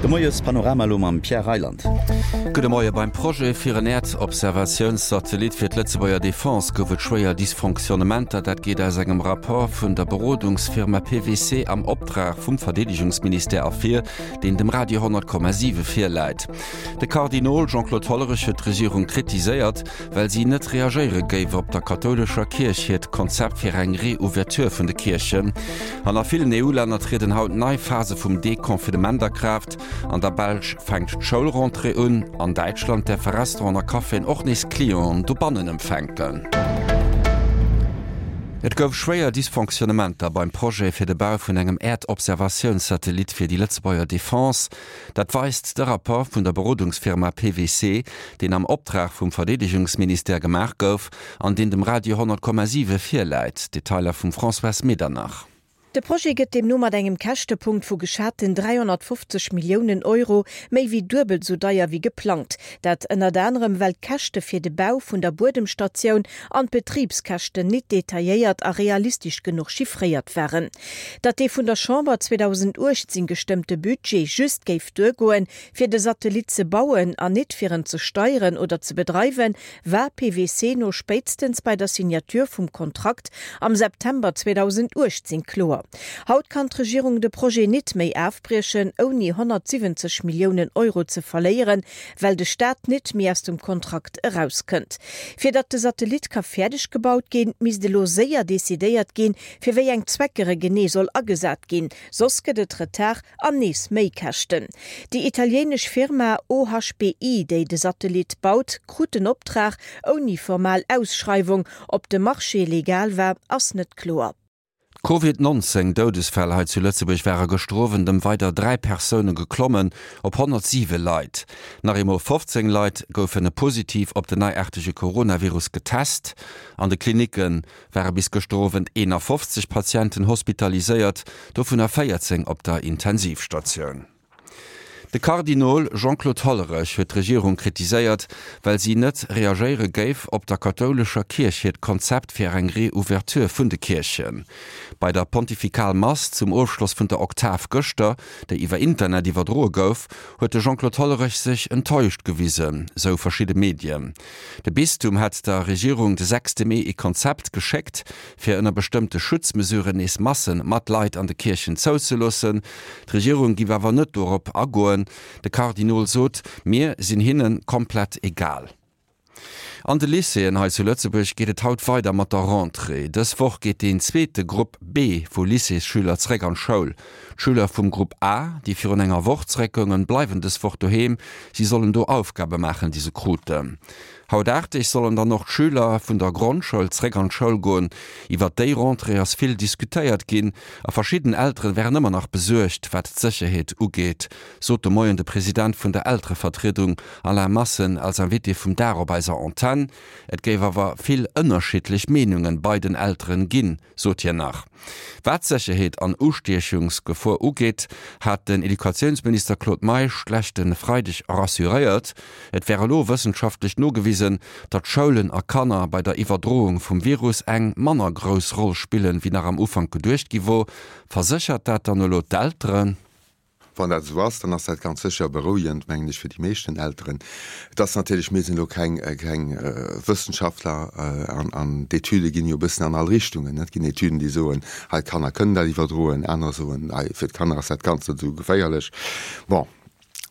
De Moies-Panorama elo mam Pierre Reyland. Gudde Moie, Beim Projet fir en Äerdobservatiounssatellit fir d'Lëtzebuerger Defense gouf et schwéier Dysfonctionnementer. Dat geet aus engem Rapport vun der Berodungsfirma PWC am Optrag vum Verdeedegungsministère ervir, deen dem Radio 10,7 virläit. De Kardinol Jean-Claude Hollerich huet d'Regierung kritiséiert, well si net reagéiere géif op der kathoulescher Kierch hiert Konzept fir eng Reouverture vun de Kierchen. An a villen EU-Länner trieden haut nei Phase vum Deconfinement a Kraaft. An der Belsch fänkt d'Schoulrentrée un, an Däitschland däerfe Restauranten a Caféen och nees Clienten dobannen empfänken. Et gouf schwéier Dysfonctionnementer beim Projet fir de Bau vun engem Äerdobservatiounssatellit fir déi Lëtzebuerger Defense. Dat weist de Rapport vun der Berodungsfirma PWC, deen am Optrag vum Verdeedegungsministère gemaach gouf an deen dem Radio 10,7 virläit. Detailer vum Françoise Medernach. De Projet gëtt deemno mat engem Käschtepunkt vu geschaten 350 Milliounen Euro méi wéi duebel sou deier wéi geplangt. Dat ënnert anerem well d'Käschte fir de Bau vun der Buedemstatioun an d'Betribskäschten nit detailléiert a realistesch genuch chiffréiert waren. Datt dee vun der Chamber 2018 gestëmmte Budget just géif duergoen, fir de Satellit ze bauen an nit fir en ze steieren oder ze bedreiwen, war PwC no spéitstens bei der Signature vum Kontrakt am September 2018 kloer. Haut kann d'Regierung de Projet nit méi afbriechen, ouni 170 Milliounen Euro ze verléieren, well de Staat nit méi aus dem Kontrakt erauskënnt. Fir datt de Satellit ka fäerdeg gebaut ginn, misst elo séier decidéiert ginn, fir wéi eng Zwecker e genee soll agesat ginn, soss gëtt et Retard an nees Méikäschten. Déi italienesch Firma OHBI, déi de Satellit baut, krut den Optrag ouni formal Ausschreiwung. Ob de Marché legal war, ass net kloer. D'Covid 19 Doudesfäll hei zu Lëtzebuerg ware gëschter Owend ëm weider 3 Persoune geklommen op 107 Leit. Nach eemol 15 Leit goufen positiv op den neiaartege Coronavirus getest. An de Klinicke ware bis gëschter Owend 51 Patienten hospitaliséiert, dovunner 14 op der Intensivstatioun. De Kardinol Jean-Claude Hollerech huet d'Regierung kritiséiert, well si net reagéiere géif op der kathoulescher Kierch hiert Konzept fir eng Reouverture vun de Kierchen. Bei der Pontifikal Mass zum Ofschloss vun der Oktav gëschter, déi iwwer Internet iwwerdroe gouf, huet de Jean-Claude Hollerech sech enttäuscht gewisen, sou verschidde Medien. De Bistum hätt der Regierung de sechste Mee ee Konzept geschéckt, fir ënner bestëmmte Schutzmesuren nees Massen mat Leit an de Kierchen zouzeloossen. D'Regierung giff awer net dorop agoen. De Kardinol sot, Mir sinn hinne komplett egal. An de Lycéeën hei zu Lëtzebuerg geet et haut weider mat der Rentrée. Dës Woch geet deen zweete Grupp B vu Lycéesschüler zeréck an d'Schoul. D'Schüler vum Grupp A, déi virun enger Woch zeréckgoungen, bleiwen dës Woch doheem. Si sollen do Aufgabe maachen, déi se kruten. Haut 8 Deeg sollen dann och d'Schüler vun der Grondschoul zréck an d'Schoul goen. Iwwert déi Rentrée ass vill diskutéiert ginn a verschidden Elteren wären ëmmer nach besuergt, wat d'Sécherheet ugeet, sot de Moien de President vun der Elterevertriedung Alain Massen als Invité vum Dag op eiser Antenn. Et géif awer vill ënnerschiddlech Meenungen bei den Elteren ginn, sot hien nach. Wat d'Sécherheet an Ustiechungsgefor ugeet, hat den Educatiounsminister Claude Meisch d'leschte Freideg rassuréiert, et wär elo wëssenschaftlech nogewisen, datt Schoulen a Kanner bei der Iwwerdroung vum Virus eng manner grouss Roll spillen, wéi nach am Ufank geduecht gi wor. Verséchert dat dann elo d'Elteren? Wann dat esou ass, dann ass dat ganz sécher berouegend, mengen ech, fir déi meeschten Elteren. Et ass natierlech, mir sinn elo keng, keng Wëssenschaftler an, an d'Etüde ginn jo e bëssen an all Richtungen. Et ginn Etüden, déi soen, hei d'Kanner kënnen dat iwwerdroen, anerer soen, hei fir d'Kanner ass dat Ganzt net esou geféierlech. Bon,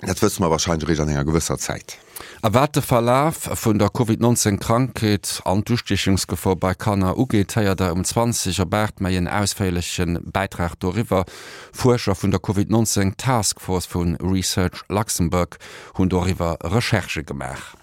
dat wësse mer wahrscheinlech eréischt an enger gewësser Zäit. A wat de Verlaf vun der Covid 19 Krankheet an d'Ustiechungsgefor bei Kanner ugeet, héiert der um 20 op 8 méi en ausféierleche Bäitrag doriwwer. Fuerscher vun der Covid 19 Task Force vu Research Luxembourg hunn doriwwer Recherchë gemaach.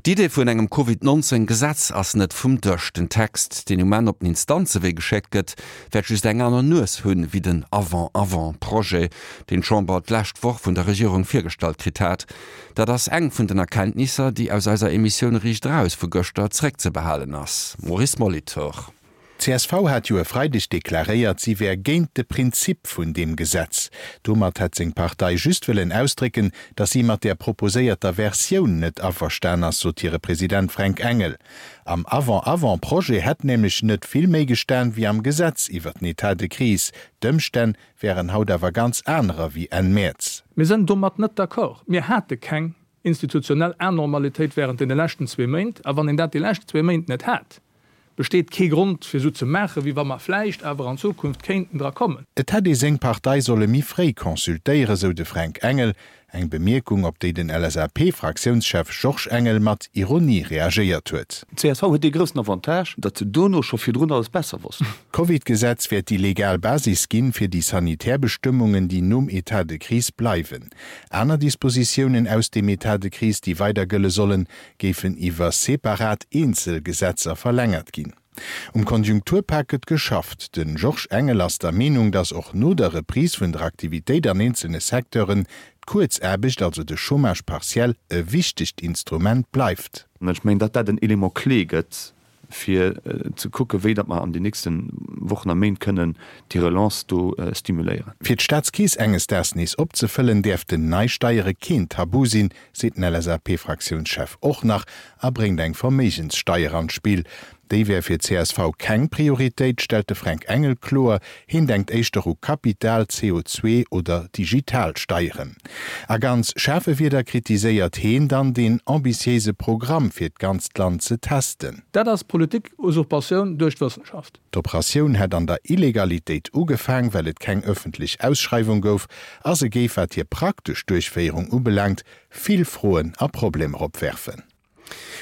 D'Idee vun engem Covid 19 Gesetz ass net vum Dësch. Den Text, deen um Enn op den Instanzewee geschéckt gëtt, wäert just eng aner Nues hunn, wéi den Avant-avant-Projet, deen d'Chamber d'lescht Woch vun der Regierung virgestallt kritt hat. Dat ass eng vun den Erkenntnisser, déi aus eiser Emissioun Riicht Eraus vu gëschter zréckzebehalen ass. Maurice Molitor. D'CSV hat jo e Freideg deklaréiert, si wär géint de Prinzip vun deem Gesetz. Domat hätt seng Partei just wëllen ausdrécken, datt si mat där proposéierter Versioun net averstan ass, sot hire President Fränk Engel. Am Avant-avant-Projet hätt nämlech net vill méi gestan wéi am Gesetz iwwer den Etat de crise. D'Ëmstänn wären haut awer ganz anerer wéi Enn Mäerz. Mir sënn domat net d'accord. Mir hate keng institutionell Anormalitéit während deene leschten zwee Méint. A wann een dat déi lescht zwee Méint net hat, besteet kee Grond fir esou ze maachen, wéi wa mer vläicht awer an Zukunft kéinten dra kommen. Et hätt ee seng Partei solle méi fréi consultéieren, sou de Fränk Engel. Eng Bemierkung, op déi den LSAP-Fraktiounschef Georges Engel mat Ironie reagéiert huet. D'CSV huet dee groussen Avantage, datt se dono scho virdrun alles besser wossten. D'Covid-Gesetz wäert déi legal Basis ginn, fir déi sanitär Bestëmmungen, déi nom Etat de crise bleiwen. Aner Dispositiounen aus dem Etat de crise, déi weider gëlle sollen, géifen iwwer separat eenzel Gesetzer verlängert ginn. Um Konjunkturpak gëtt geschafft. De Georges Engel ass der Meenung, datt och no der Reprise vun der Aktivitéit an eenzelne Secteuren d'Kuerzaarbecht, also de Chômage partiel, e wichtegt Instrument bleift. Ech mengen, datt dat en Élément clé gëtt, fir ze kucken, wéi datt mer an den nächste Wochen a Méint kënnen déi Relance do stimuléieren. Fir d'Staatskeess enges Daags nees opzefëllen, däerften nei Steiere keen Tabu sinn, seet den LSAP-Fraktiounschef och nach a bréngt eng Verméigenssteier an d'Spill. Déi wär fir csv keng Prioritéit, stellt de Fränk Engel kloer. Heen denkt éischter u Kapital-, CO2 oder Digitalsteieren. A ganz schaarfe Wierder kritiséiert heen dann deen ambitiéise Programm fir d'ganzt Land ze testen. Dat ass Politik-Usurpatioun duerch d'Wëssenschaft. D'Operatioun hätt an der Illegalitéit ugefaang, well et keng ëffentlech Ausschreiwung gouf, a se géif, wat hir praktesch Duerchféierung ubelaangt, vill Froen a Problemer opwerfen.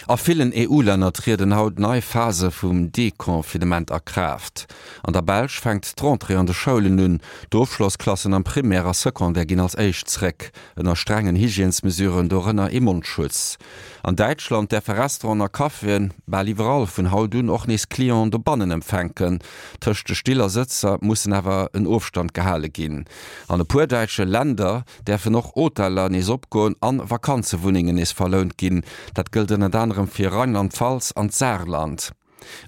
A villen EU-Länner trieden haut nei Phase vum Deconfinement a Kraaft. An der Belsch fänkt d'Rentrée an de Schoulen un. D'Ofschlossklassen am Primaire a Secondaire ginn als éischt zréck, ënner strengen Hygiènesmesuren, dorënner ee Mondschutz. An Däitschland däerfe Restauranten a Caféen bal iwwerall vun haut un och nees Clienten dobannen empfänken. Tëscht de Still a Sëtzer mussen awer en Ofstand gehale ginn. An e puer däitsche Länder däerfen och Hoteller nees opgoen an Vakanzewunnengen nees verlount ginn. Dat gëllt ënnert anerem fir Rheinland-Pfalz an d'Saarland.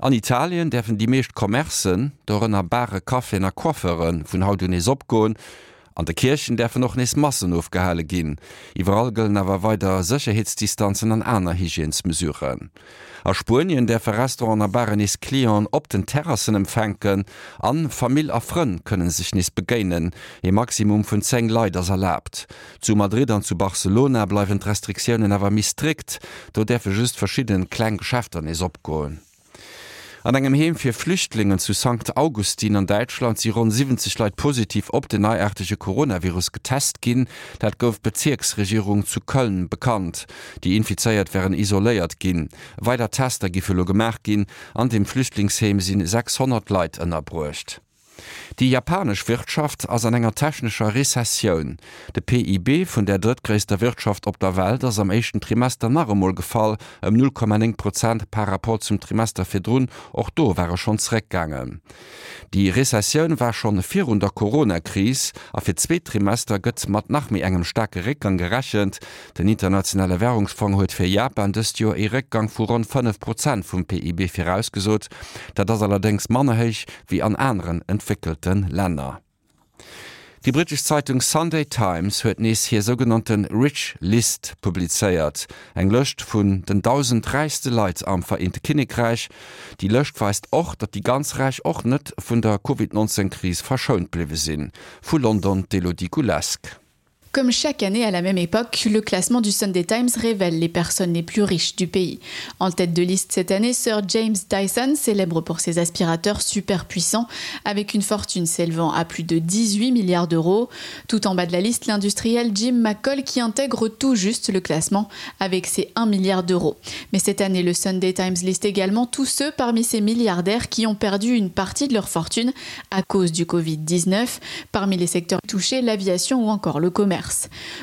An Italien däerfen déi meescht Commercen, dorënner Bare, Caféen a Coiffeuren, vun haut un nees opgoen. An de Kierchen däerfen och nees Massen ofgehale ginn. Iwwerall gëllen awer weider Sécherheetsdistanzen an aner Hygiènesmesuren. A Spuenien däerfe Restauranten a Baren nees Clienten op den Terrassen empfänken an Famill a Frënn kënne sech nees begéinen. Ee Maximum vun 10 Leit ass erlaabt. Zu Madrid an zu Barcelona bleiwen d'Restriktiounen awer méi strikt, do däerfe just verschidde kleng Geschäfter nees opgoen. An engem Heem fir Flüchtlingen zu Sankt Augustin an Däitschland si ronn 70 Leit positiv op den neiaartege Coronavirus getest ginn. Dat gouf d'Bezierksregierung zu Köln bekannt. Déi Infizéiert wären isoléiert ginn. Weider Tester giffe lo gemaach ginn. An dem Flüchtlingsheem si 600 Leit ënnerbruecht. Déi japanesch Wirtschaft ass an enger technescher Rezessioun. De PIB vun där drëttgréisster Wirtschaft op der Welt ass am éischten Trimester nach emol gefall, ëm 0,9 Prozent par Rapport zum Trimester virdrun. Och do war e schonn zeréckgaangen. Déi Rezessioun war schonn virun der Corona-Kris a fir d'zweet Trimester gëtt mat nach méi engem staarke Réckgang gerechent. Den Internationale Wärungsfong huet fir Japan dëst Joer ee Réckgang vu ronn 5 Prozent vum PIB virausgesot. Dat ass allerdéngs manner héich wéi an aneren entwéckelte Länner. Déi brittesch Zeitung Sunday Times huet nees hir sougenannte Rich List publizéiert, eng Lëscht vun den 1.000 räichste Leit am Vereente Kinnekräich. Déi Lëscht weist och, datt déi ganz Räich och net vun der Covid 19 Kris verschount bliwwe sinn. Vu London d'Elodie Goulesque. Comme chaque année à la même époque, le classement du Sunday Times révèle les personnes les plus riches du pays. En tête de liste cette année, Sir James Dyson, célèbre pour ses aspirateurs super puissants, avec une fortune s'élevant à plus de 18 milliards d'euros. Tout en bas de la liste, l'industriel Jim McCall qui intègre tout juste le classement avec ses 1 milliard d'euros. Mais cette année, le Sunday Times liste également tous ceux parmi ces milliardaires qui ont perdu une partie de leur fortune à cause du Covid-19, parmi les secteurs touchés, l'aviation ou encore le commerce.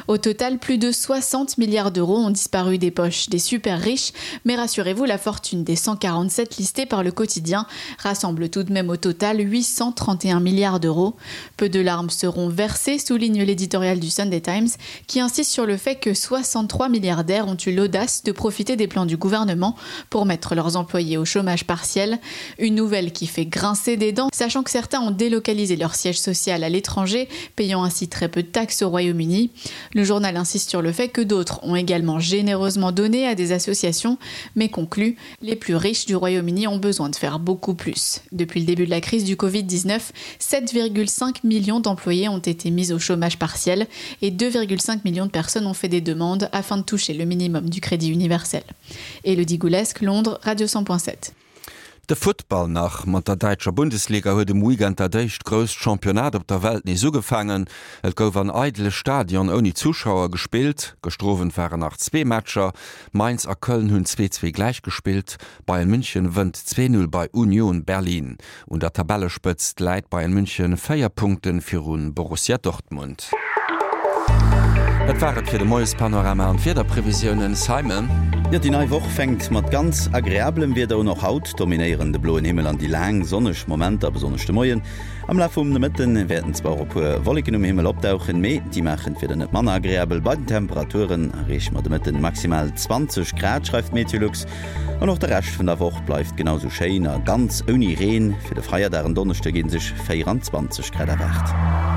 Au total, plus de 60 milliards d'euros ont disparu des poches des super riches, mais rassurez-vous, la fortune des 147 listés par le quotidien rassemble tout de même au total 831 milliards d'euros. Peu de larmes seront versées, souligne l'éditorial du Sunday Times, qui insiste sur le fait que 63 milliardaires ont eu l'audace de profiter des plans du gouvernement pour mettre leurs employés au chômage partiel. Une nouvelle qui fait grincer des dents, sachant que certains ont délocalisé leur siège social à l'étranger, payant ainsi très peu de taxes au Royaume-Uni. Royaume-Uni. Le journal insiste sur le fait que d'autres ont également généreusement donné à des associations, mais conclut les plus riches du Royaume-Uni ont besoin de faire beaucoup plus. Depuis le début de la crise du Covid-19, 7,5 millions d'employés ont été mis au chômage partiel et 2,5 millions de personnes ont fait des demandes afin de toucher le minimum du crédit universel. Elodie Goulesque, Londres, Radio 100.7. De Futtball nach, Mat der däitscher Bundesliga huet um Weekend dat éischt grousst Championnat op der Welt nees ugefaangen. Et gouf an eidele Stadion ouni Zuschauer gespillt. Gëschter Owend waren nach zwee Matcher. Mainz a Köln hunn 2, 2 gläich gespillt. Bayern München wënnt 2, 0 bei Union Berlin. Un der Tabellespëtzt läit Bayern München 4 Punkte viru Borussia Dortmund. Dat war et fir de Moiespanorama an d'Wiederprevisiounen. Simon. Jo, déi nei Woch fänkt mat ganz agreabelem Wieder un. Och haut dominéieren de bloen Himmel an déi laang sonneg Momenter, besonnesch de Moien. Am Laf vum Nomëtten wäerten zwar och e puer Wolleken um Himmel opdauchen, mee déi maachen d'Wieder net manner agreabel. Bei den Temperaturen erreeche mer de Mëtten maximal 20 Grad, schreift Meteolux. An och de Rescht vun der Woch bleift genau sou schéin a ganz ouni Reen. Fir de Feierdag en Donneschde gi sech 24 Grad erwaart.